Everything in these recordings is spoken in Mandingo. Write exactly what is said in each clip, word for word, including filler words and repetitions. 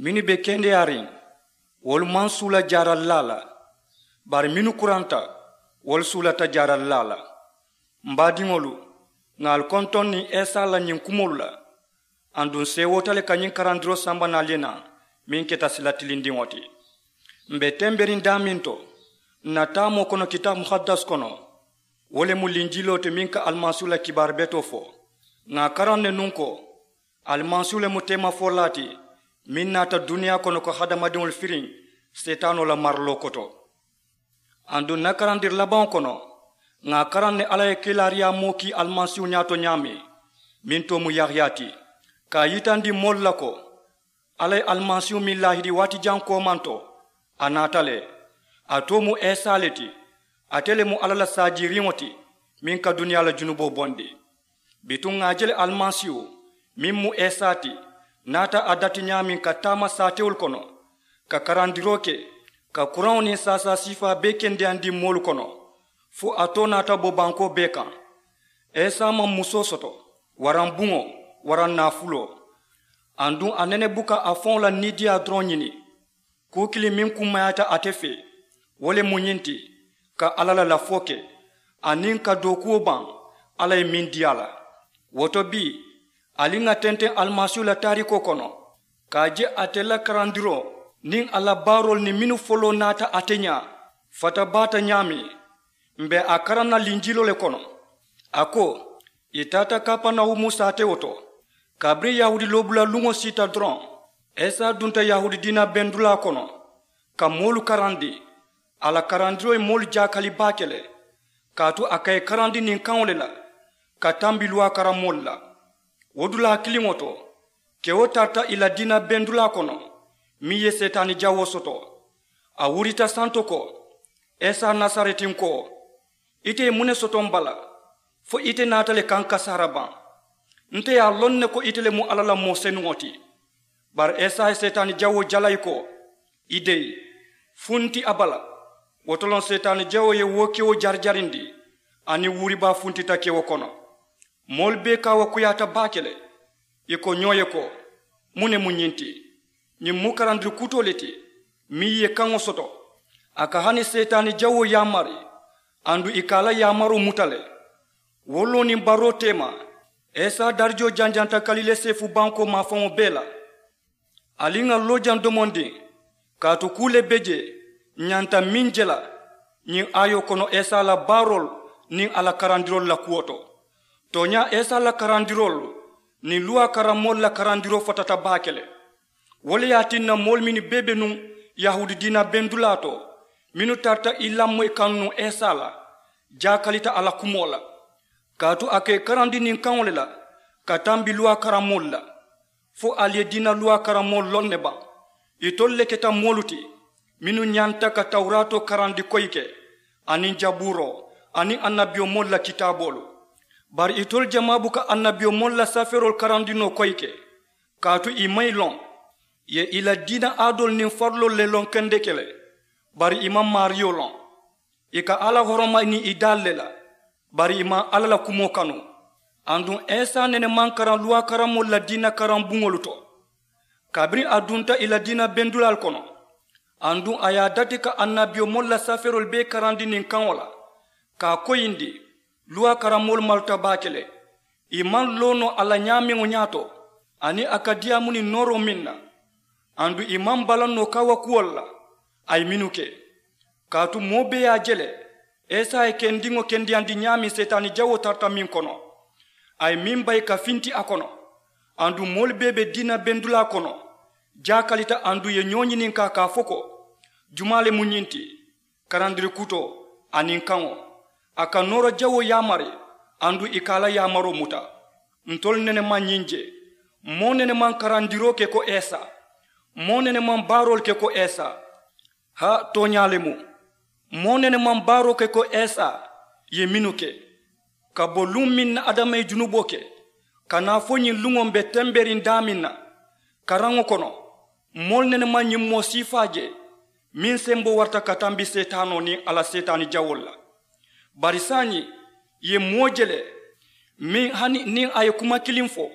Mennu be kendeyaariŋ, wolu maŋ suula jaaralilaa la, bari mennu kuranta, wolu suulata jaaralilaa la. M baadiŋolu, ŋà ali kontoŋ niŋ esa la ñiŋ kumoolu la. Aduŋ seewoota le ka ñiŋ karandiroo samba naalu ye naa, meŋ keta sila tilindiŋo ti. M be temberiŋ daameŋ to, n na taamoo kono kitaabu muhaddas kono, wo le mu linjiloo ti meŋ ka alimasiihu la kibaaru betoo fo. Ŋà a karaŋ ne nuŋ ko, alimasiihu le mu teemafolaa ti meŋ naata duniyaa kono ka hadamadiŋolu firiŋ seetaanoo la mariloo koto. Aduŋ n na karandiri labaŋo kono, ŋà a karaŋ ne alla ye kiilaariyaa moo kii alimasiihu ñaato ñaameŋ, meŋ too mu yahiya ti, ka a yitandi moolu la ko, alla ye alimasiihu meŋ laahidi waati jaŋ koomaŋ to, a naata le. A too mu esa le ti. Ate le mu alla la saajiiriŋo ti, meŋ ka duniyaa la junuboo bondi. Bituŋ ŋà a je le alimasiihu, meŋ mu esa ti, naata a dati ñaameŋ ka taama saatewolu kono, ka karandiroo ke, ka kuraŋo niŋ saasaa siifaa bee kendeyandi moolu kono, fo a too naata bo bankoo bee kaŋ. Esa maŋ musoo soto, waraŋ buŋo, waraŋ naafuloo. Aduŋ a nene buka a faŋo la niidiyaa doroŋ ñini. Kuu kiliŋ meŋ kummayaata ate fee, wo le mu ñiŋ ti, ka alla la lafoo ke, aniŋ ka dookuwo baŋ alla ye meŋ dii a la. Wo to bii, ali ŋà tenteŋ alimasiihu la taariikoo kono, ka a je ate la karandiroo niŋ a la baaroolu niŋ mennu foloo naata ate ñaa, fata baata ñaameŋ. M be a karaŋ na linjiloo le kono. A ko, ì taata kapanawumu saatewo to. Kabiriŋ yahuudi loobula luŋo siita doroŋ, esa dunta yahuudi diina bendulaa kono, ka moolu karandi. A la karandiroo ye moolu jaakali baake le, kaatu a ka ì karandi niŋ kaŋo le la, ka tambi luwaa karamoolu la. Wo dulaa kiliŋo to, kewo tarata ì la diina bendulaa kono, meŋ ye seetaani jawoo soto. A wurita santo ko, esa nasaretinkoo, ite ye muŋ ne soto m bala, fo ite naata le ka n kasaara baŋ? Nte ye a loŋ ne ko ite le mu alla la moo senuŋo ti. Bari esa ye seetaani jawoo jalayi ko, i deyi, funti a bala. Wo to loŋ seetaani jawoo ye wo kewo jarijarindi, aniŋ wuribaa funtita kewo kono. Moolu bee kaawakuyaata baake le. Ì ko ñoo ye ko, muŋ ne mu ñiŋ ti? Ñiŋ mu karandiri kutoo le ti, meŋ ye kaŋo soto. A ka hani seetaani jawoo yaamari, aduŋ ì ka a la yaamaroo muta le. Wo loo niŋ baroo teema, esa darijoo janjanta kalilee seefu bankoo maafaŋo bee la. Ali ŋà loo jaŋ domondiŋ, kaatu kuu le be jee, ñanta meŋ je la, ñiŋ aayoo kono esa la baaroolu niŋ a la karandiroolu la kuwo to. Tooñaa, esa la karandiroolu niŋ luwaa karamoolu la karandiroo fatata baake le. Wo le ye a tinna moolu mennu bee be nuŋ yahuudi diina bendulaa to, mennu tarata ì lamoyi kaŋ nuŋ esa la, jaakalita a la kumoo la. Kaatu a ka ì karandi niŋ kaŋo le la, ka tambi luwaa karamoolu la. Fo ali ye diina luwaa karamoolu loŋ ne baŋ? Itolu le keta moolu ti, mennu ñanta ka tawuraatoo karandi koyi ke, aniŋ jabuuroo, aniŋ annabiyomoolu la kitaaboolu. Bari itolu jamaa buka annabiyomoolu la safeeroolu karandi noo koyi ke, kaatu ì maŋ ì loŋ. Ì ye ì la diina aadoolu niŋ fariloolu le loŋ kendeke le, bari ì maŋ maariyo loŋ. Ì ka alla horoma niŋ ì daalu le la, bari ì maŋ alla la kumoo kanu. Aduŋ esa nene maŋ karaŋ luwaa karamoolu la diina karaŋ buŋolu to. Kabiriŋ a dunta ì la diina bendulaalu kono, aduŋ a ye a dati ka annabiyomoolu la safeeroolu bee karandi niŋ kaŋo la, ka a koyindi, luwaa karamoolu maluta baake le. Ì maŋ loo noo a la ñaameŋo ñaato, aniŋ a ka diyaamu niŋ nooroo meŋ na. Aduŋ ì maŋ balaŋ noo kaawakuwolu la, a ye mennu ke. Kaatu moo bee ye a je le, esa ye kendiŋo kendeyandi ñaameŋ seetaani jawoo tarata meŋ kono, a ye meŋ bayi ka finti a kono. Aduŋ moolu bee be diina bendulaa kono, jaakalita, aduŋ ì ye ñoo ñininkaa ka a fo ko, jumaa le mu ñiŋ ti? Karandiri kutoo aniŋ kaŋo, a ka noora jawoo yaamari, aduŋ ì ka a la yaamaroo muta. Ntolu nene maŋ ñiŋ je. Moo nene maŋ karandiroo ke ko esa. Moo nene maŋ baaroolu ke ko esa. Haa, tooñaa le mu. Moo nene maŋ baaroo ke ko esa ye mennu ke, ka bo luŋ meŋ na adama ye junuboo ke, ka naa fo ñiŋ luŋo m be temberiŋ daameŋ na. Karaŋo kono, moolu nene maŋ ñiŋ moo siifaa je, meŋ semboo warata ka tambi seetaanoo niŋ a la seetaani jawoolu la. Bari saayiŋ, ì ye moo je le, meŋ hani niŋ a ye kuma kiliŋ fo,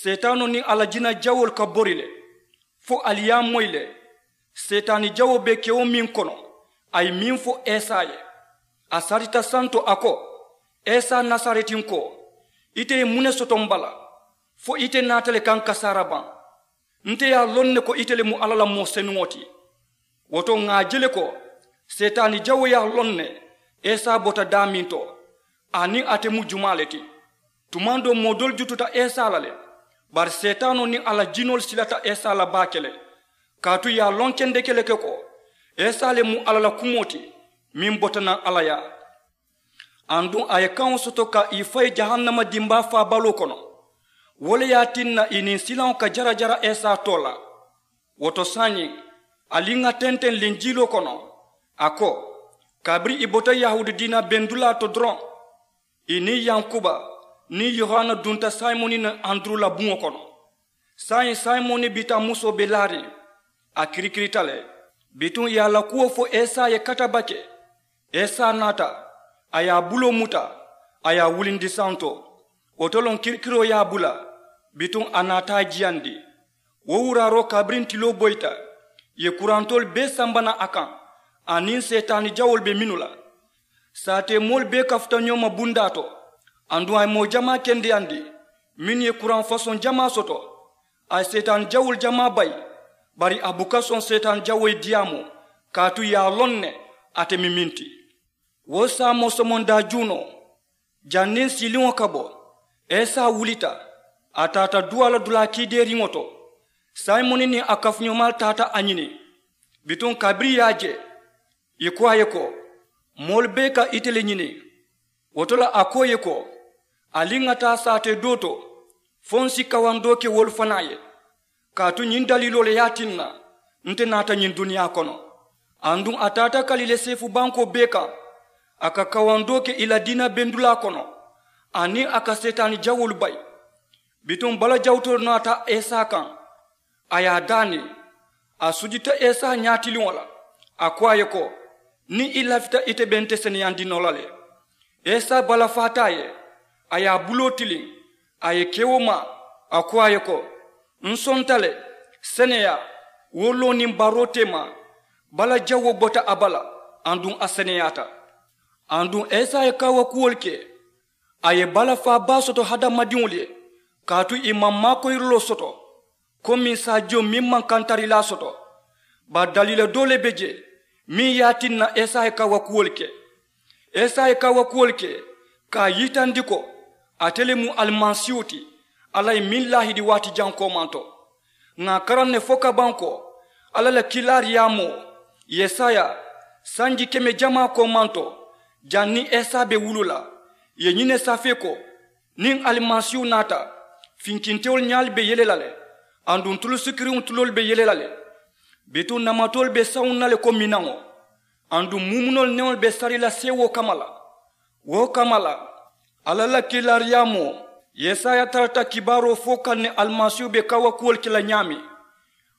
seetaanoo niŋ a la jina jawoolu ka bori le. Fo ali ye a moyi le. Seetaani jawoo be kewo meŋ kono, a ye meŋ fo esa ye. A sarita santo a ko, esa nasaretinkoo, ite ye muŋ ne soto m bala? Fo ite naata le ka n kasaara baŋ? Nte ye a loŋ ne ko ite le mu alla la moo senuŋo ti. Wo to ŋà a je le ko seetaani jawoo ye a loŋ ne esa bota daameŋ to, aniŋ ate mu jumaa le ti. Tumaŋ doo moo doolu jututa esa la le, bari seetaanoo niŋ a la jinoolu silata esa la baake le. Kaatu ì ye a loŋ kendeke le ke ko esa le mu alla la kumoo ti, meŋ bota naŋ alla yaa. Aduŋ a ye kaŋo soto ka ì fayi jahannama dimbaa faabaloo kono. Wo le ye a tinna ì niŋ silaŋo ka jarajara esa too la. Wo to saayiŋ, ali ŋà tenteŋ linjiiloo kono, a ko, kabiriŋ ì bota yahuudi diina bendulaa to doroŋ, ì niŋ yankuba niŋ yohana dunta simoni niŋ anduru la buŋo kono. Saayiŋ simoni bitamusoo be laariŋ, a kirikirita le. Bituŋ ì ye a la kuwo fo esa ye katabake. Esa naata, a ye a buloo muta, a ye a wulindi santo. Wo to loŋ kirikiroo ye a bula, bituŋ a naata a jiyandi. Wo wuraaroo kabiriŋ tiloo boyita, ì ye kurantoolu bee samba naŋ a kaŋ, aniŋ seetaani jawoolu be mennu la. Saatee moolu bee kafuta ñoo ma bundaa to. Aduŋ a ye moo jamaa kendeyandi mennu ye kuraŋ fasoŋ jamaa soto. A ye seetaani jawoolu jamaa bayi, bari a buka soŋ seetaani jawoo ye diyaamoo, kaatu ì ye a loŋ ne ate mu meŋ ti. Wo saamoo somondaa juunoo, janniŋ siiliŋo ka bo, esa wulita, a taata duwaa la dulaa kiideeriŋo to. Simoni niŋ a kafuñoomaalu taata a ñini. Bituŋ kabiriŋ ì ye a je, ì ko a ye ko, moolu bee ka ite le ñini. Wo to la a ko ì ye ko, ali ŋà taa saatee doo to, fo ǹ si kawandoo ke wolu fanaa ye. Kaatu ñiŋ daliiloo le ye a tinna nte naata ñiŋ duniyaa kono. Aduŋ a taata kaliile seefu bankoo bee kaŋ, a ka kawandoo ke ì la diina bendulaa kono, aniŋ a ka seetaani jawoolu bayi. Bituŋ bala jawutoo naata esa kaŋ, a ye a daani. A sujita esa ñaatiliŋo la, a ko a ye ko, niŋ i lafita ite be nte seneyandi noo la le. Esa balafaata a ye, a ye a buloo tiliŋ, a ye kewo maa, a ko a ye ko, ǹ sonta le, seneyaa, wo loo niŋ baroo teema. Bala jawoo bota a bala, aduŋ a seneyaata. Aduŋ esa ye kaawakuwolu ke, a ye balafaa baa soto hadamadiŋolu ye, kaatu ì maŋ maakoyiriloo soto komi saajiyo meŋ maŋ kantarilaa soto. Bari daliila doo le be jee meŋ ye a tinna esa ye kaawakuwolu ke. Esa ye kaawakuwolu ke ka a yitandi ko ate le mu alimasiihu ti, alla ye meŋ laahidi waati jaŋ koomanto. Ŋà a karaŋ ne fo ka baŋ ko alla la kiilaariyaamoo yesaya sanji keme jamaa koomanto, janniŋ esa be wuluu la, ì ye ñiŋ ne safee ko, niŋ alimasiihu naata, finkintewolu ñaalu be yele la le, aduŋ tulu sikiriŋo tuloolu be yele la le. Bituŋ namatoolu be sawuŋ na le ko minaŋo, aduŋ muumunoolu neŋolu be sari la seewoo kamma la. Wo kamma la, alla la kiilaariyaamoo yesaya tarata kibaaroo fo kaŋ ne alimasiihu be kaawakuwolu ke la ñaameŋ.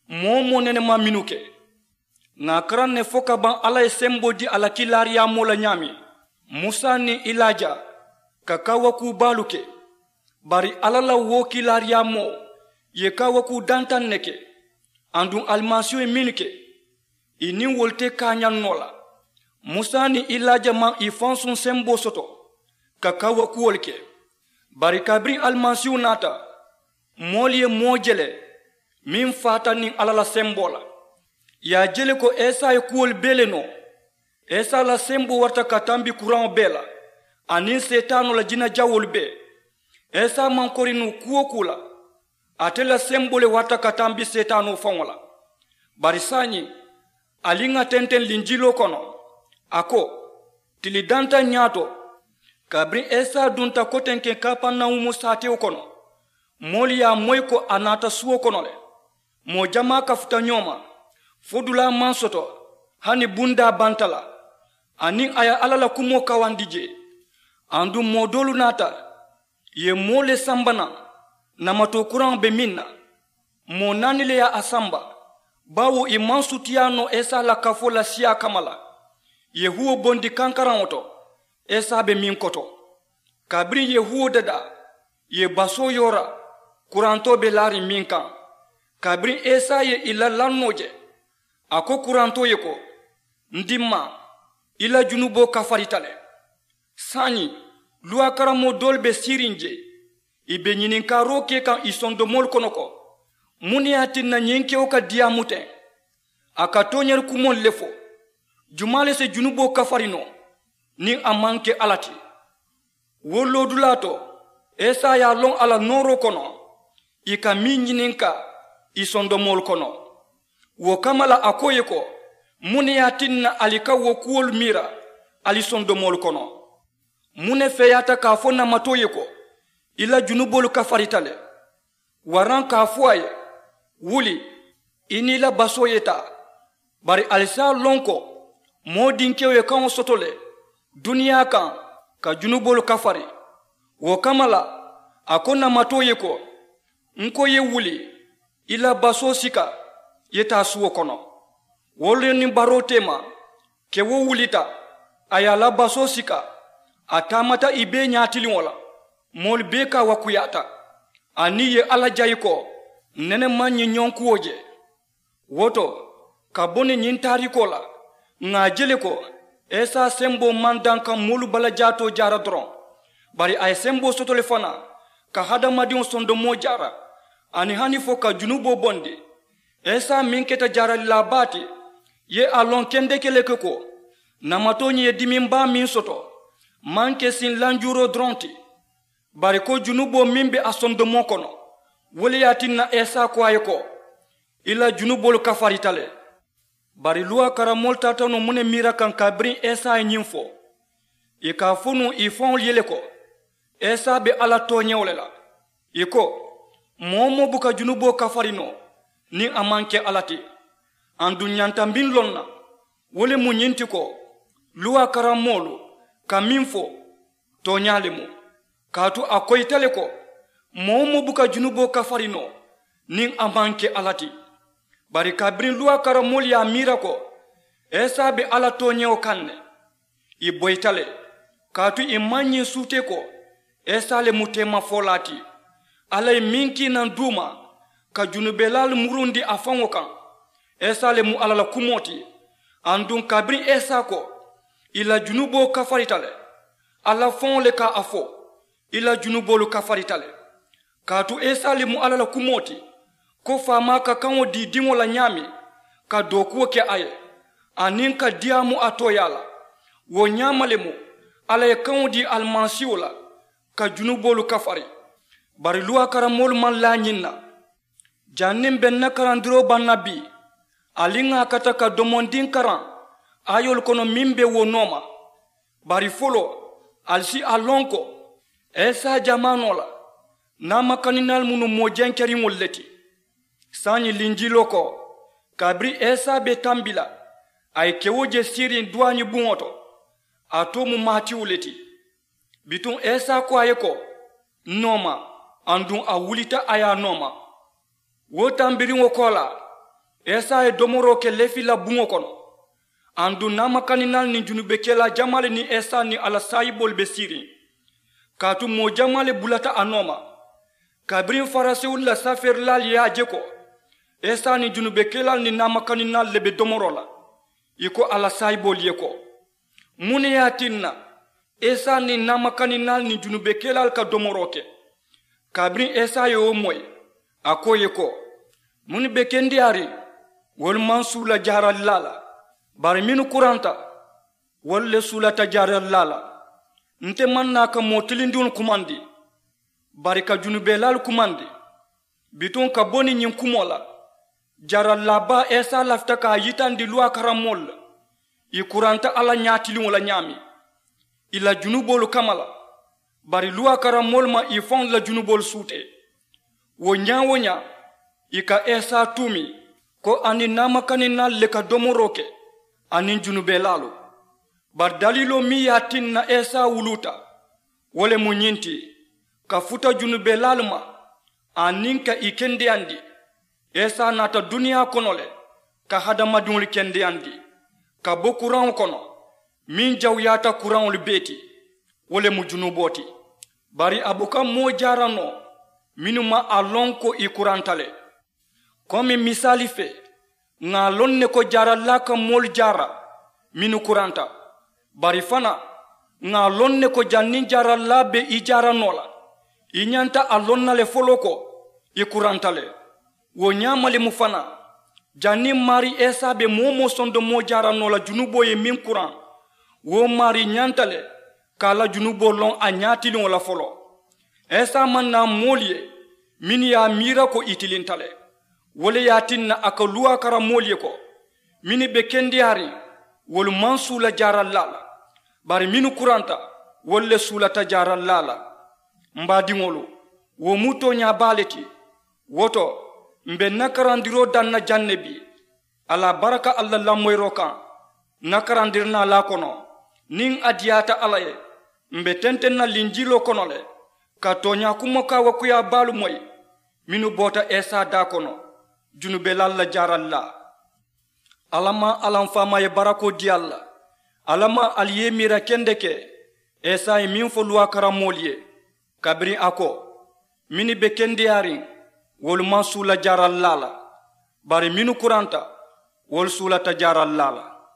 Moo-wo-moo nene maŋ mennu ke. Ŋà a karaŋ ne fo ka baŋ alla ye semboo dii a la kiilaariyaamoo la ñaameŋ, musa niŋ ilaaja ka kaawakuu baalu ke. Bari alla la wo kiilaariyaamoo ye kaawakuu dantaŋ ne ke. Aduŋ alimasiihu ye mennu ke, ì niŋ wolu te kaañaŋ noo la. Musa niŋ ilaaja maŋ ì fansuŋ semboo soto ka kaawakuwolu ke. Bari kabiriŋ alimasiihu naata, moolu ye moo je le meŋ faata niŋ alla la semboo la. Ì ye a je le ko esa ye kuwolu bee le noo. Esa la semboo warata ka tambi kuraŋo bee la, aniŋ seetaanoo la jinajawoolu bee. Esa maŋ kori noo kuu-wo-kuu la. Ate la semboo le warata ka tambi seetaanoo faŋo la. Bari saayiŋ, ali ŋà tenteŋ linjiloo kono, a ko, tili dantaŋ ñaato, kabiriŋ esa dunta kotenkeŋ kapernawumu saatewo kono, moolu ye a moyi ko a naata suwo kono le. Moo jamaa kafuta ñoo ma, fo dulaa maŋ soto, hani bundaa banta la. Aniŋ a ye alla la kumoo kawandi jee. Aduŋ moo doolu naata, ì ye moo le samba naŋ, namatoo kuraŋo be meŋ na. Moo naani le ye a samba, baawo ì maŋ sutiyaa noo esa la kafoo la siyaa kamma la. Ì ye huwo bondi kankaraŋo to, esa be meŋ koto. Kabiriŋ ì ye huwo dadaa, ì ye basoo yoora, kurantoo be laariŋ meŋ kaŋ. Kabiriŋ isa ye ì la lannoo je, a ko kurantoo ye ko, n dimmaa, i la junuboo kafarita le. Saayiŋ, luwaa karammoo doolu be siiriŋ je, ì be ñininkaaroo ke kaŋ ì sondomoolu kono ko, muŋ ne ye a tinna ñiŋ kewo ka diyaamu teŋ? A ka tooñaari kumoolu le fo. Jumaa le si junuboo kafari noo niŋ a maŋ ke alla ti? Wo loodulaa to, isa ye a loŋ a la nooroo kono ì ka meŋ ñininkaa ì sondomoolu kono. Wo kamma la a ko ì ye ko, muŋ ne ye a tinna ali ka wo kuwolu miira ali sondomoolu kono? Muŋ ne feeyaata ka a fo namatoo ye ko, i la junuboolu kafarita le? Waraŋ ka a fo a ye, wuli, i niŋ i la basoo ye taa? Bari ali si a loŋ ko moo dinkewo ye kaŋo soto le duniyaa kaŋ ka junuboolu kafari. Wo kamma la a ko namatoo ye ko, n ko i ye wuli, i la basoo sika, i ye taa suwo kono. Wo le niŋ baroo teema, kewo wulita, a ye a la basoo sika, a taamata ì bee ñaatiliŋo la. Moolu bee kaawakuyaata, aniŋ ì ye alla jayi ko, nene maŋ ñiŋ ñonkuwo je. Wo to, ka bo niŋ ñiŋ taariikoo la, ŋà a je le ko isa semboo maŋ daŋ ka moolu balajaatoo jaara doroŋ, bari a ye semboo soto le fanaa ka hadamadiŋo sondomoo jaara, aniŋ hani fo ka junuboo bondi. Isa meŋ keta jaaralilaa baa ti, ye a loŋ kendeke le ke ko, namatoo ñiŋ ye dimiŋ baa meŋ soto, maŋ ke siŋ lanjuuroo doroŋ ti, bari ko junuboo meŋ be a sondomoo kono. Wo le ye a tinna isa ko a ye ko, i la junuboolu kafarita le. Bari luwaa karammoolu taata noo muŋ ne miira kaŋ kabiriŋ isa ye ñiŋ fo? Ì ka a fo nuŋ ì faŋolu ye le ko, isa be alla tooñewo le la. Ì ko, moo-wo-moo buka junuboo kafari noo niŋ a maŋ ke alla ti. Aduŋ ñanta meŋ loŋ na, wo le mu ñiŋ ti ko, luwaa karammoolu ka meŋ fo, tooñaa le mu. Kaatu a koyita le ko, moo-wo-moo buka junuboo kafari noo niŋ a maŋ ke alla ti. Bari kabiriŋ luwaa karammoolu ye a miira ko isa be alla tooñewo kaŋ ne, ì boyita le. Kaatu ì maŋ ñiŋ suutee ko isa le mu teemafolaa ti. Alla ye meŋ kii naŋ duuma ka junubelaalu murundi a faŋo kaŋ, isa le mu alla la kumoo ti. Aduŋ kabiriŋ isa ko, i la junuboo kafarita le, alla faŋo le ka a fo, i la junuboolu kafarita le. Kaatu isa le mu alla la kumoo ti, ko faamaa ka kaŋo dii diŋo la ñaameŋ, ka dookuwo ke a ye, aniŋ ka diyaamu a tooyaa la. Wo ñaama le mu alla ye kaŋo dii alimasiiwo la ka junuboolu kafari. Bari luwaa karammoolu maŋ laa ñiŋ na. Janniŋ be n na karandiroo baŋ na bii, ali ŋà a kata ka domondiŋ karaŋ aayoolu kono meŋ be wo nooma. Bari foloo, ali si a loŋ ko isa jamaanoo la naamakaninaalu mu nuŋ moo jenkeriŋolu le ti. Saayiŋ linjiloo ko, kabiriŋ isa be tambi la, a ye kewo je siiriŋ duwaañi buŋo to. A too mu maatiwu le ti. Bituŋ isa ko a ye ko, n nooma. Aduŋ a wulita a ye a nooma. Wo tambiriŋo koolaa, isa ye domoroo ke lefi la buŋo kono. Aduŋ naamakaninaalu niŋ junubekelaa jamaalu niŋ isa niŋ a la saayiboolu be siiriŋ. Kaatu moo jamaa le bulata a nooma. Kabiriŋ farisiwolu la safeerilaalu ye a je ko isa niŋ junubekelaalu niŋ naamakaninaalu le be domoroo la, ì ko a la saayiboolu ye ko, muŋ ne ye a tinna isa niŋ naamakaninaalu niŋ junubekelaalu ka domoroo ke? Kabiriŋ isa ye wo moyi, a ko ì ye ko, mennu be kendeyaariŋ, wolu maŋ suula jaaralilaa la. Bari mennu kuranta, wolu le suulata jaaralilaa la. Nte maŋ naa ka moo tilindiŋolu kumandi, bari ka junubelaalu kumandi. Bituŋ ka bo niŋ ñiŋ kumoo la, jaaralilaa baa isa lafita ka a yitandi luwaa karammoolu la. Ì kuranta alla ñaatiliŋo la ñaameŋ, ì la junuboolu kamma la. Bari luwaa karammoolu maŋ ì faŋolu la junuboolu suutee. Wo ñaa-wo-ñaa, ì ka isa tuumi ko a niŋ naamakaninaalu le ka domoroo ke, aniŋ junubelaalu. Bari daliiloo meŋ ye a tinna isa wuluuta, wo le mu ñiŋ ti, ka futa junubelaalu ma, aniŋ ka ì kendeyandi. Isa naata duniyaa kono le, ka hadamadiŋolu kendeyandi, ka bo kuraŋo kono, meŋ jawuyaata kuraŋolu bee ti. Wo le mu junuboo ti. Bari a buka moo jaara noo, mennu maŋ a loŋ ko ì kuranta le. Komi misaali fee, ŋà a loŋ ne ko jaarallaa ka moolu jaara mennu kuranta. Bari fanaa, ŋà a loŋ ne ko janniŋ jaarallaa be i jaara noo la, i ñanta a loŋ na le foloo ko i kuranta le. Wo ñaama le mu fanaa, janniŋ maarii isa be moo-wo-moo sondomoo jaara noo la junuboo ye meŋ kuraŋ, wo maarii ñanta le ka a la junuboo loŋ a ñaatiliŋo la foloo. Isa maŋ naa moolu ye mennu ye a miira ko i tilinta le. Wo le ye a tinna a ka luwaa kara moolu ye ko mennu be kendeyaariŋ, wolu maŋ suula jaarallaa la, bari mennu kuranta, wolu le suulata jaarallaa la. M baadiŋolu, wo mu tooñaa baa le ti. Wo to, m be n na karandiroo daŋ na jaŋ ne bii. A la baraka alla lamoyiroo kaŋ, n na karandirinaalaa kono, niŋ a diyaata alla ye, m be tenteŋ na linjiloo kono le ka tooñaa kumo kaawakuyaa baalu moyi mennu boota isa daa kono, junubelaalu la jaarallaa. Alla maŋ alla m faamaa ye barakoo dii ali la. Alla maŋ ali ye i miira kendeke isa ye meŋ fo luwaa kara moolu ye, kabiriŋ a ko mennu be kendeyaariŋ, wolu maŋ suula jaarallaa la, bari mennu kuranta, wolu suulata jaarallaa la.